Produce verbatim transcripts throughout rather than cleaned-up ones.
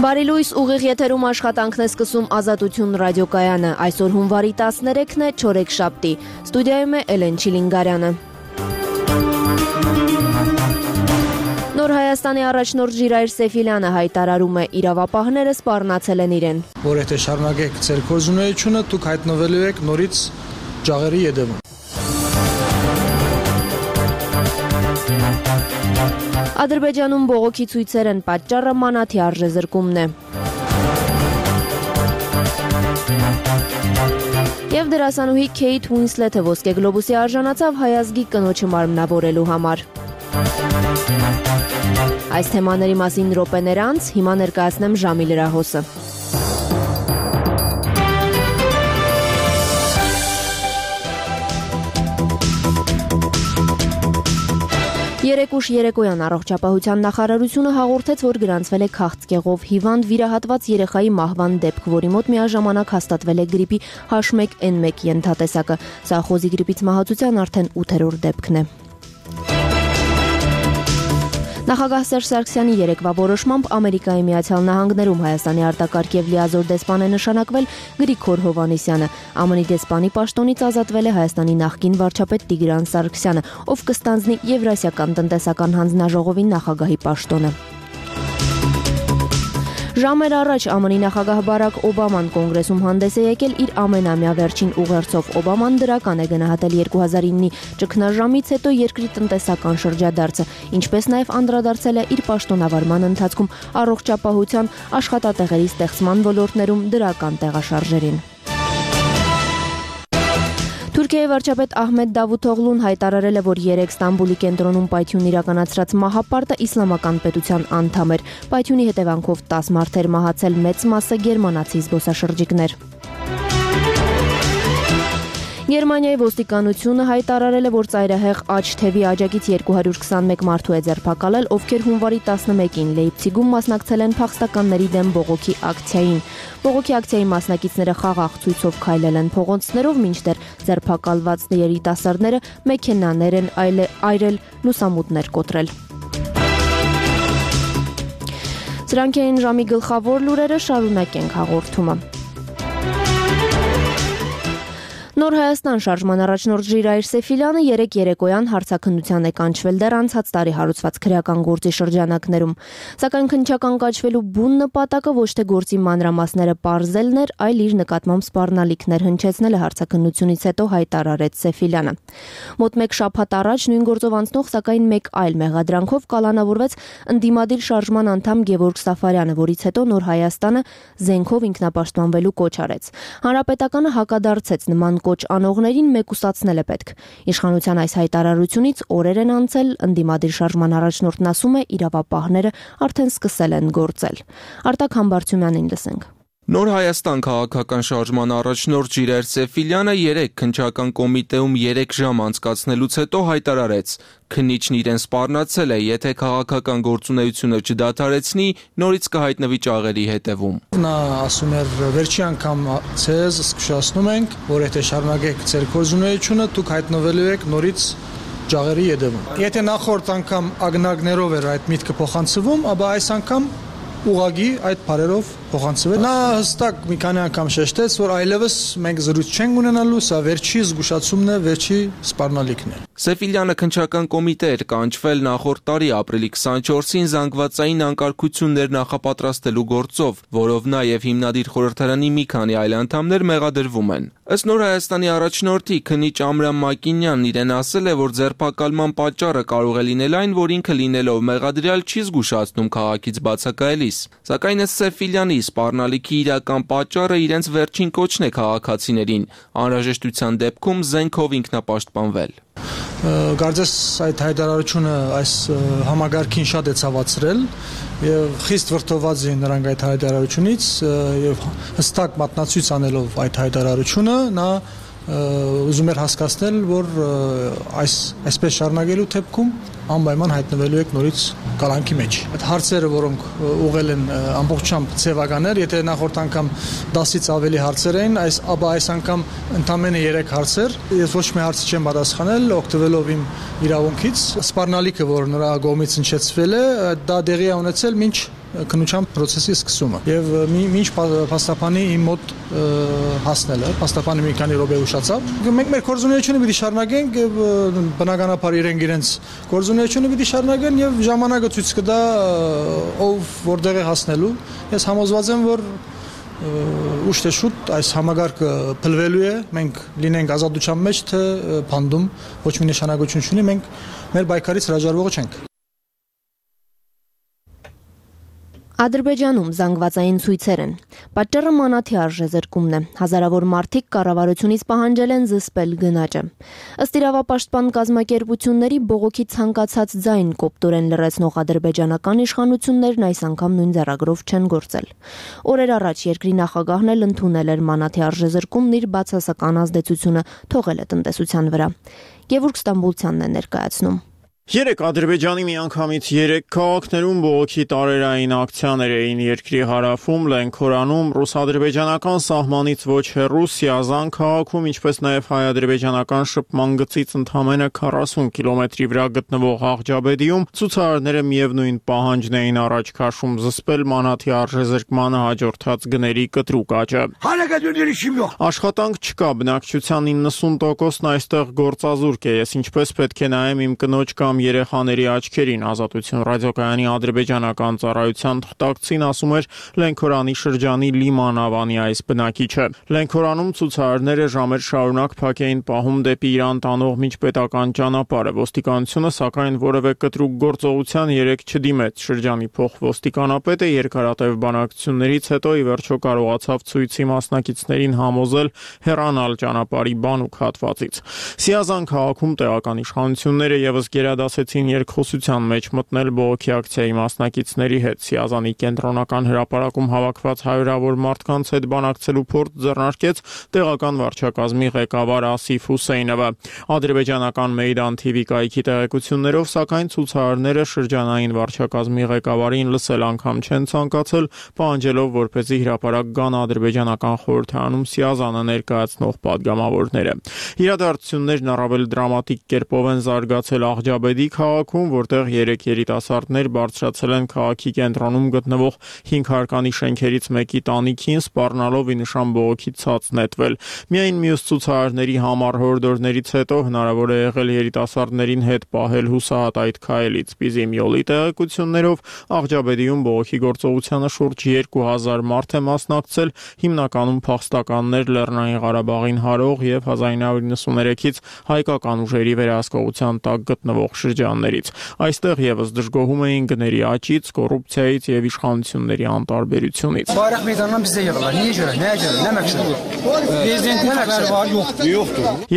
Բարի լույս, ուղիղ եթերում աշխատանքն է սկսում Ազատություն ռադիոկայանը։ Այսօր հունվարի տասներեքն է, չորեքշաբթի։ Ստուդիայում է Էլեն Չիլինգարյանը։ Նոր Հայաստանի առաջնորդ Ժիրայր Սեֆիլյանը հայտարարում է, իրավապահները սպառնացել են իրեն։ Որ եթե շարունակեք ձեր գործունեությունը, դուք հայտնվելու եք նորից ջաղերի ետևում։ Ադրբեջանում բողոքի ցույցեր են, պատճառը մանաթի արժեզրկումն է։ Եվ դերասանուհի Քեյթ Ուինսլեթը ոսկե գլոբուսի արժանացավ հայազգի կնոջը մարմնավորելու համար։ Այս թեմաների մասին րոպեներ անց հիմա ներկայացնեմ ժամի լրահոսը։ Երեկ ուշ երեկոյան առողջապահության նախարարությունը հաղորդեց, որ գրանցվել է քաղցկեղով հիվանդ վիրահատված երեխայի մահվան դեպք, որի մոտ միաժամանակ հաստատվել է գրիպի H one N one ենթատեսակը։ Սա խոզի գրիպից մահացության արդեն ութերորդ դեպքն է։ Նախագահ Սերժ Սարգսյանի երեկվա որոշմամբ Ամերիկայի Միացյալ Նահանգներում Հայաստանի արտակարգ եւ լիազոր դեսպան է նշանակվել Գրիգոր Հովհաննիսյանը։ Ամն ի դեսպանի պաշտոնից ազատվել է Հայաստանի նախկին վարչապետ Տիգրան Սարգսյանը, ով կստանձնի Եվրասիական տնտեսական հանձնաժողովի նախագահի պաշտոնը։ Ժամեր առաջ ԱՄՆ-ի նախագահ Բարակ Օբաման կոնգրեսում հանդես է եկել իր ամենամյա վերջին ուղերձով։ Օբաման դրական է գնահատել երկու հազար իննի ճգնաժամից հետո երկրի տնտեսական շրջադարձը, ինչպես նաև անդրադարձել է իր պաշտոնավարման ընթացքում առողջապահության, աշխատատեղերի ստեղծման ոլորտներում դրական տեղաշարժերին։ Թուրքիայի վարչապետ Ահմեդ Դավութօղլուն հայտարարել է, որ երեկ Ստամբուլի կենտրոնում պայթյուն իրականացրած մահապարտը իսլամական պետության անդամ էր։ Պայթյունի հետևանքով տասը մարդ էր մահացել, մեծ մասը գերմանացի զբոսաշրջիկներ։ Գերմանիայի ոստիկանությունը հայտարարել է, որ ծայրահեղ աջ թևի աջակից երկու հարյուր քսանմեկ մարդու է ձերբակալել, ովքեր հունվարի տասնմեկին Լեյպցիգում մասնակցել են փախստականների դեմ բողոքի ակցիային։ Բողոքի ակցիայի մասնակիցները խաղաղ ցույցով քայլել են փողոցներով, մինչդեռ ձերբակալված երիտասարդները մեքենաներ են այրել, լուսամուտներ կոտրել։ Սրանք էին ժամի գլխավոր լուրերը, շարունակենք հաղորդումը։ Նոր Հայաստան շարժման առաջնորդ Ժիրայր Սեֆիլյանը երեկ երեկոյան հարցաքննության է կանչվել դեռ անցած տարի հարուցված քրեական գործի շրջանակներում։ Սակայն քննչական կոչվելու բուն նպատակը ոչ թե գործի մանրամասները պարզելն էր, այլ իր նկատմամբ սպառնալիքներ հնչեցնելը հարցաքննությունից հետո հայտարարեց Սեֆիլյանը։ Մոտ մեկ շաբաթ առաջ նույն գործով անցնող, սակայն մեկ այլ մեղադրանքով կալանավորվեց ընդդիմադիր շարժման անդամ Գևորգ Սաֆարյանը, որից հետո Նոր Հայաստանը զենքով ինքնապաշտպանվելու կոչ արեց։ Հանրապետականը հակադարձեց նման կոչ անողներին մեկուսացնել է պետք։ Իշխանության այս հայտարարությունից օրեր են անցել, ընդդիմադիր շարժման առաջնորդն ասում է, իրավապահները արդեն սկսել են գործել։ Արտակ Համբարձումյանին լսենք։ Նոր Հայաստան քաղաքական շարժման առաջնորդ Ժիրայր Սեֆիլյանը երեկ քննչական կոմիտեում երեք ժամ անցկացնելուց հետո հայտարարեց. քննիչն իրեն սպառնացել է, եթե քաղաքական գործունեությունը չդադարեցնի, նորից կհայտնվի ջաղերի հետևում։ Նա ասում էր, վերջի անգամ ցեզ զսկշացնում ենք, որ եթե շարունակեք ձեր գործունեությունը, դուք հայտնվելու եք նորից ջաղերի ետևում։ Եթե նախորդ անգամ ագնագներով էր այդ միտքը փոխանցվում, ապա այս անգամ ուղղակի այդ բարերով փոխանցվել։ Նա հստակ մի քանի անգամ շեշտեց, որ այլևս մենք զրույց չենք ունենալու, սա վերջի զգուշացումն է, վերջի սպառնալիքն է։ Սեֆիլյանը քննչական կոմիտե էր կանչվել նախորդ տարի ապրիլի քսանչորսին զանգվածային անկարգություններ նախապատրաստելու գործով, որով նա եւ հիմնադիր խորհրդարանի մի քանի այլ անդամներ մեղադրվում են։ Ըստ Նոր Հայաստանի առաջնորդի քննիչ Ամրան Մակինյանն իրեն ասել է, որ ձերբակալման պատճառը կարող է լինել այն, որ ինքը լինելով մեղադրյալ չի զգուշացնում քաղաքից բացակայելիս։ Սակայն ըստ Սեֆիլյանի սպառնալիքի իրական պատճառը իրենց վերջին կոչն է քաղաքացիներին, անհրաժեշտության դեպքում զենքով ինքնապաշտպանվել։ Կարծես այդ հայտարարությունը այս համագարքին շատ է ցավացրել եւ խիստ վրդոված էին նրանք այդ հայտարարությունից եւ հստակ մատնացույց անելով այդ հայտարարությունը նա ուզում էր հասկացնել, որ այս այսպես շարունակելու դեպքում անպայման հայտնվելու եք նորից կալանքի մեջ։ Այդ հարցերը, որոնք ուղղել են ամբողջությամբ ձևականներ, եթե նախորդ անգամ դասից ավելի հարցեր էին, այս ապա այս անգամ ընդամենը երեք հարցեր, ես ոչ մի հարց չեմ պատասխանել, օգտվելով իմ իրավունքից։ Սպառնալիքը, որ նրա կողմից հնչեցվել է, դա դեղի է ունեցել մինչ քննության process-ի սկսումը։ Եվ մինչ փաստաբանի իմ մոտ հասնելը, փաստաբանը մի քանի րոպե ուշացավ։ Մենք մեր գործունեությունը պիտի շարունակենք եւ բնականաբար իրենք իրենց գործունեությունը պիտի շարունակեն եւ ժամանակը ցույց կտա ով որտեղ է հասնելու։ Ես համոզված եմ, որ ուշ թե շուտ այս համագարկը փլվելու է, մենք լինենք ազատության մեջ, թե փանդում, ոչ մի նշանակություն չունի, մենք մեր պայքարից հրաժարվողը չենք։ Ադրբեջանում զանգվածային ցույցեր են։ Պատճառը մանաթի արժեզրկումն է։ Հազարավոր մարդիկ կառավարությունից պահանջել են զսպել գնաճը։ Ըստ իրավապաշտպան կազմակերպությունների բողոքի ցանկացած ձայն կոպտորեն լրացնող ադրբեջանական իշխանություններն այս անգամ նույն ձեռագրով չեն գործել։ Օրեր առաջ երկրի նախագահն էլ ընդունել էր մանաթի արժեզրկումն իր բացասական ազդեցությունը թողել է տնտեսության վրա։ Գևորգ Ստամբուլցյանն է ներկայացնում։ Երեք Ադրբեջանի միանգամից երեք քաղաքներում բողոքի տարերային ակցիաներ էին երկրի հարավում, Լենքորանում, ռուս-ադրբեջանական սահմանից ոչ հեռու Սիազան քաղաքում, ինչպես նաև հայ-ադրբեջանական շփման գծից ընդամենը քառասուն կիլոմետրի վրա գտնվող Աղջաբեդիում ցուցարարները միևնույն պահանջն էին առաջ քաշում զսպել մանաթի արժեզրկմանը հաջորդած գների կտրուկ աճը։ Աշխատանք չկա, բնակչության իննսուն տոկոսն այստեղ գործազուրկ է, ես ինչպես պետք է նայեմ իմ կնոջ կամ երեխաների աչքերին, Ազատություն ռադիոկայանի ադրբեջանական ծառայության թղթակցին ասում էր Լենքորանի շրջանի Լիման Ավանի այս բնակիչը։ Լենքորանում ցուցարարները ժամեր շարունակ փակ էին պահում դեպի Իրան տանող միջպետական ճանապարհը։ Ոստիկանությունը սակայն որևէ կտրուկ գործողության երեք չդիմեց։ Շրջանի փոխոստիկանապետը երկարատև բանակցություններից հետո ի վերջո կարողացավ ցույցի մասնակիցներին համոզել հեռանալ ճանապարհի բանուկ հատվածից։ Սիազան քաղաքում տեղական իշխանությունները եւս ասեցին երկխոսության մեջ մտնել բողոքի ակցիայի մասնակիցների հետ։ Սիազանի կենտրոնական հրապարակում հավաքված հարյուրավոր մարդկանց հետ բանակցելու փորձ ձեռնարկեց տեղական վարչակազմի ղեկավար Ասիֆ Հուսեյնովը։ Ադրբեջանական Մեյդան թի վի կայքի տեղեկություններով, սակայն ցուցարարները շրջանային վարչակազմի ղեկավարին լսել անգամ չեն ցանկացել, պահանջելով որպեսզի հրապարակ գան ադրբեջանական խորհրդարանում Սիազանը ներկայացնող падգամավորները։ Իրադարձություններն առավել դրամատիկ կերպով են զարգացել Աղջաբեդի քաղաքում, որտեղ երեք երիտասարդներ բարձրացել են քաղաքի կենտրոնում գտնվող հինգ հարկանի շենքերից մեկի տանիքին, սպառնալով ի նշան բողոքի ցած նետվել։ Միայն մյուս ցուցարարների համառ հորդորներից հետո հնարավոր է եղել երիտասարդներին հետ պահել հուսահատ այդ քայլից։ Պիզիմյոլի տեղեկություններով Աղջաբեդիում բողոքի գործողությանը շուրջ երկու հազար մարդ է մասնակցել, հիմնականում փախստականներ Լեռնային Ղարաբաղին հարող եւ հազար ինը հարյուր նվաթից հայկական ուժերի վերահսկողության տակ գտնվող շրջաններից։ Այստեղ եւս դժգոհում էին գների աճից, կոռուպցիայից եւ իշխանությունների անտարբերությունից։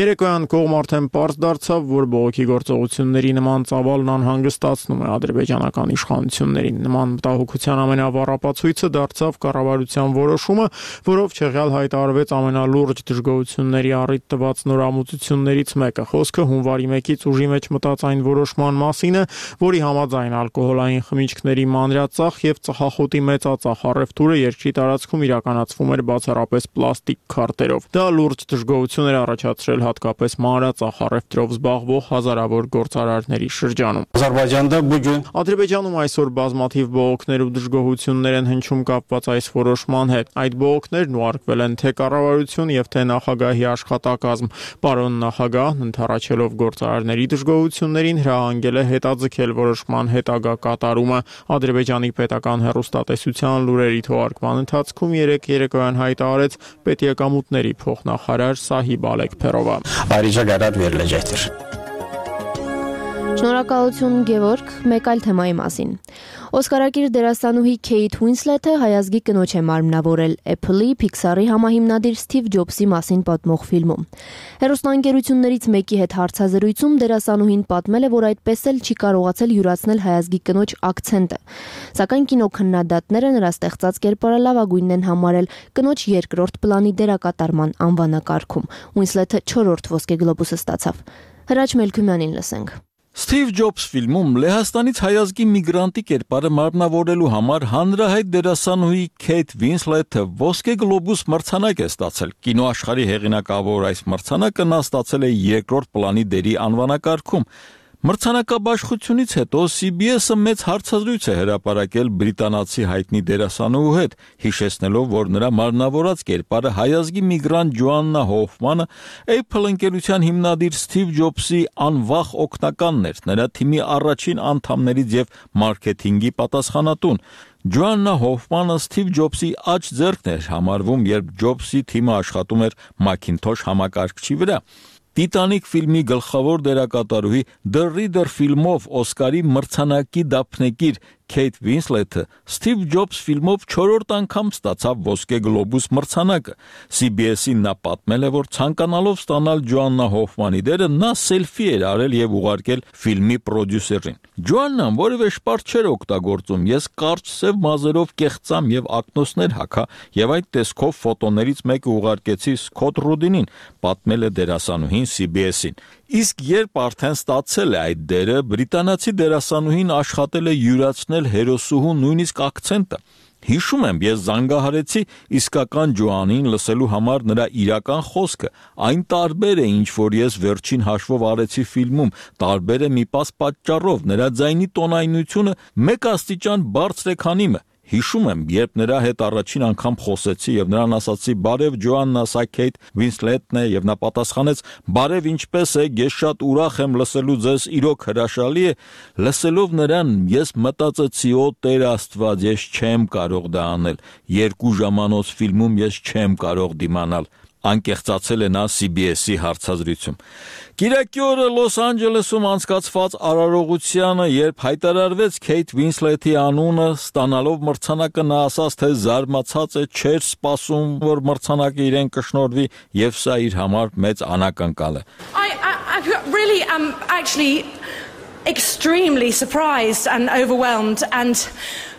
Երեկոյան կողմ արդեն պարզ դարձավ, որ բողոքի գործողությունների նման ծավալն անհանգստացնում է ադրբեջանական իշխանություններին։ Նման մտահոգության ամենավառ ապացույցը դարձավ կառավարության որոշումը, որով Չեղյալ հայտարարվեց ամենալուրջ դժգոհությունների առիթ տված նորամուծություններից մեկը։ Խոսքը հունվարի մեկից ուժի մեջ մտած այն որոշման մասին է, որի համաձայն ալկոհոլային խմիչքների մանրածախ եւ ծխախոտի մեծածախ առևտուրը երկրի տարածքում իրականացվում էր բացառապես պլաստիկ քարտերով։ Դա լուրջ դժգոհություն էր առաջացրել հատկապես մանրածախ առևտրով զբաղվող հազարավոր գործարարների շրջանում։ Ադրբեջանում այսօր բազմաթիվ բողոքներ ու դժգոհություններ են հնչում կապված այս որոշման հետ։ Այդ բողոքներն ուղարկվել են թե կառավարություն եւ թե նախագահի աշխատակազմ։ Պարոն նախագահն ընդառաջելով գործարարների դժգոհություններին հրահանգել է հետաձգել որոշման հետագա կատարումը։ Ադրբեջանի պետական հեռուստատեսության լուրերի թողարկման ընթացքում երեք երեկոյան հայտարարեց պետեկամուտների փոխնախարար Սահիբ Ալեքփերովը։ Շնորհակալություն Գևորգ, մեկ այլ թեմայի մասին։ Օսկարակիր դերասանուհի Քեյթ Ուինսլեթը հայազգի կնոջ է մարմնավորել Apple-ի, Pixar-ի համահիմնադիր Սթիվ Ջոբսի մասին պատմող ֆիլմում։ Հեռուստաընկերություններից մեկի հետ հարցազրույցում դերասանուհին պատմել է, որ այդպես էլ չի կարողացել յուրացնել հայազգի կնոջ ակցենտը։ Սակայն կինոքննադատները նրա ստեղծած կերպարը լավագույնն են համարել կնոջ երկրորդ պլանի դերակատարման անվանակարգում։ Ուինսլեթը չորրորդ ոսկե գլոբուսը ստացավ։ Հրաչ Մելքումյանին լսենք։ Սթիվ Ջոբս ֆիլմում Լեհաստանից հայազգի միգրանտի կերպարը մարմնավորելու համար հանրահայտ դերասանուհի Քեյթ Ուինսլեթը ոսկե գլոբուս մրցանակ է ստացել։ Կինոաշխարհի հեղինակավոր այս մրցանակը նա ստացել է երկրորդ պլանի դերի անվանակարգում։ Մրցանակաբաշխությունից հետո C B S-ը մեծ հարցազրույց է հրապարակել բրիտանացի հայտնի դերասանուհու հետ, հիշեցնելով, որ նրա մարմնավորած կերպարը հայազգի միգրանտ Ջոաննա Հոֆմանը Apple ընկերության հիմնադիր Սթիվ Ջոբսի անվախ օգնականն էր, նրա թիմի առաջին անդամներից եւ մարքեթինգի պատասխանատուն։ Ջոաննա Հոֆմանը Սթիվ Ջոբսի աջ ձեռքն էր համարվում, երբ Ջոբսի թիմը աշխատում էր Macintosh համակարգչի վրա։ Տիտանիկ ֆիլմի գլխավոր դերակատարուհի The Reader ֆիլմով Օսկարի մրցանակի դափնեկիր Քեյթ Վինսլեթը Steve Jobs ֆիլմով չորրորդ անգամ ստացավ ոսկե գլոբուս մրցանակը։ C B S-ին նա պատմել է, որ ցանկանալով ստանալ Ջոաննա Հոֆմանի դերը, նա սելֆի էր արել եւ ուղարկել ֆիլմի պրոդյուսերին։ Ջոաննան որևէ շպարտ չէր օգտագործում, ես կարճ սև մազերով կեղծամ եւ ակնոցներ հագա եւ այդ տեսքով ֆոտոներից մեկը ուղարկեցի Սքոթ Ռուդինին, պատմել է դերասանուհին C B S-ին։ Իսկ երբ արդեն ստացել է այդ դերը, բրիտանացի դերասանուհին աշխատել է յուրացնել հերոսուհու նույնիսկ ակցենտը։ Հիշում եմ, ես զանգահարեցի իսկական Ջոանին լսելու համար նրա իրական խոսքը։ Այն տարբեր է, ինչ որ ես վերջին հաշվով արեցի ֆիլմում, տարբեր է մի պաս պատճառով, նրա ձայնի տոնայնությունը մեկ աստիճան բարձր է, քան իմը։ Հիշում եմ, երբ նրա հետ առաջին անգամ խոսեցի եւ նրան ասացի «Բարև Ջոաննա, սա Քեյթ Վինսլեթն է» եւ նա պատասխանեց «Բարև, ինչպես եք, ես շատ ուրախ եմ լսելու ձեզ, իրոք հրաշալի է»։ Լսելով նրան, ես մտածեցի «Օ Տեր Աստված, ես չեմ կարող դա անել, երկու ժամանոց ֆիլմում ես չեմ կարող դիմանալ»։ Անկեղծացել է նա C B S-ի հարցազրույցում։ Կիրակի օրը Լոս Անջելեսում անցկացված արարողությանը, երբ հայտարարվեց Քեյթ Վինսլեթի անունը, ստանալով մրցանակը, նա ասաց, թե զարմացած է, չէր սպասում, որ մրցանակը իրեն կշնորհվի, եւ սա իր համար մեծ անակնկալ է։ I, I, I really am actually extremely surprised and overwhelmed and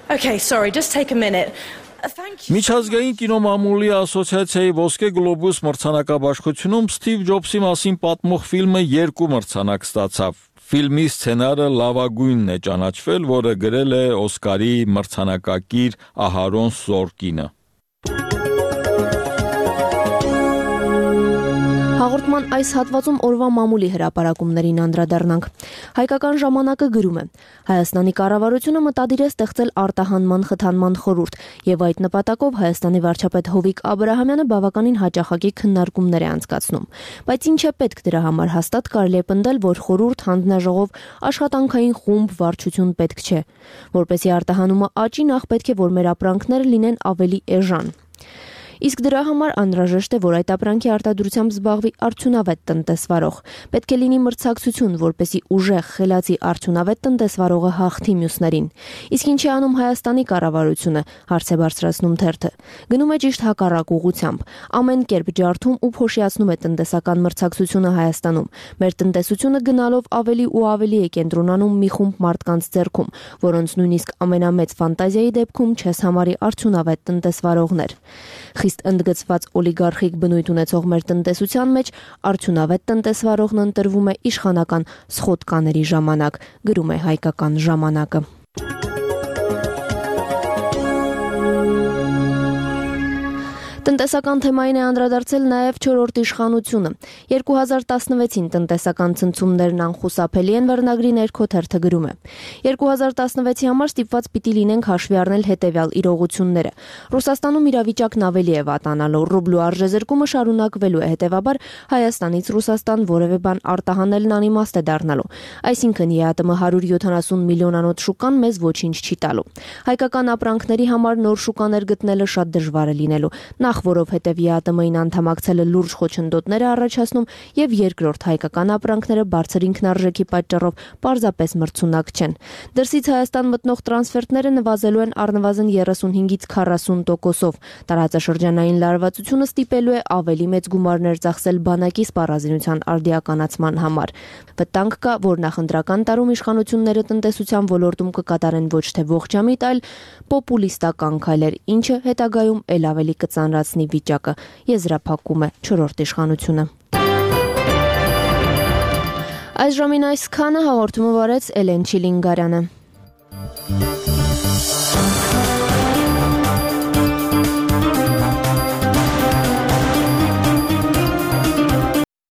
okay, sorry, just take a minute. Միջազգային կինոմամուլի ասոցիացիայի ոսկե գլոբուս մրցանակաբաշխությունում Սթիվ Ջոբսի մասին պատմող ֆիլմը երկու մրցանակ ստացավ։ Ֆիլմի սցենարը լավագույնն է ճանաչվել, որը գրել է Օսկարի մրցանակակիր Ահարոն Սորկինը։ Հաղորդման այս հատվածում օրվա մամուլի հրապարակումներին անդրադառնանք։ Հայկական ժամանակը գրում է. Հայաստանի կառավարությունը մտադիր է ստեղծել արտահանման խթանման խորհուրդ, եւ այդ նպատակով Հայաստանի վարչապետ Հովիկ Աբրահամյանը բավականին հաճախակի քննարկումներ է անցկացնում։ Բայց ինչ է պետք դրա համար, հաստատ կարելի է պնդել, որ խորհուրդ, հանձնաժողով, աշխատանքային խումբ, վարչություն պետք չէ։ Որպեսզի արտահանումը աճի, նախ պետք է, որ մեր ապրանքները լինեն ավելի էժան։ Իսկ դրա համար անհրաժեշտ է, որ այդ ապրանքի արտադրությամբ զբաղվի արդյունավետ տնտեսվարող։ Պետք է լինի մրցակցություն, որպեսզի ուժեղ, խելացի արդյունավետ տնտեսվարողը հաղթի մյուսներին։ Իսկ ինչ է անում Հայաստանի կառավարությունը, հարց է բարձրացնում թերթը։ Գնում է ճիշտ հակառակ ուղղությամբ։ Ամեն կերպ ջարդում ու փոշիացնում է տնտեսական մրցակցությունը Հայաստանում։ Մեր տնտեսությունը գնալով ավելի ու ավելի է կենտրոնանում մի խումբ մարդկանց ձեռքում, որոնց նույնիսկ ամենամեծ ֆանտազիայի դեպքում չես համարի արդյունավետ տնտեսվարողներ։ Խիստ ընդգծված օլիգարխիկ բնույթ ունեցող մեր տնտեսության մեջ արդյունավետ տնտեսվարողն ընտրվում է իշխանական սխոտկաների ժամանակ, գրում է Հայկական ժամանակը։ Տնտեսական թեմային է անդրադարձել նաև չորրորդ իշխանությունը։ երկու հազար տասնվեցին տնտեսական ցնցումներն անխուսափելի են, վերնագրի ներքո թերթը գրում է։ երկու հազար տասնվեցի համար ստիպված պիտի լինենք հաշվի առնել հետևյալ իրողությունները։ Ռուսաստանում իրավիճակն ավելի է վատանալու, ռուբլու արժեզրկումը շարունակվելու է, հետևաբար Հայաստանից Ռուսաստան որևէ բան արտահանելն անիմաստ է դառնալու։ Այսինքն ԵԱՏՄ հարյուր յոթանասուն միլիոնանոց շուկան մեզ ոչինչ չի տալու։ Հայկական ապրանքների համար նոր շուկաներ գտնելը շատ դժվար է լինելու։ Նախ որովհետև ԵԱՏՄ-ին անդամակցելը լուրջ խոչընդոտներ է առաջացնում եւ երկրորդ հայկական ապրանքները բարձր ինքնարժեքի պատճառով պարզապես մրցունակ չեն։ Դրսից Հայաստան մտնող տրանսֆերտները նվազելու են առնվազն երեսունհինգից քառասուն տոկոսով։ Տարածաշրջանային լարվածությունը ստիպելու է ավելի մեծ գումարներ ծախսել բանակի սպառազինության արդիականացման համար։ Վտանգ կա, որ նախընտրական տարում իշխանությունները տնտեսության ոլորտում կկատարեն ոչ թե ողջամիտ, այլ պոպուլիստական քայլեր, ինչը հետագայում ել ավելի կծանրացնի վիճակը, եզրափակում է չորրորդ իշխանությունը։ Այս ժամին այսքանը, հաղորդումը վարեց Էլեն Չիլինգարյանը։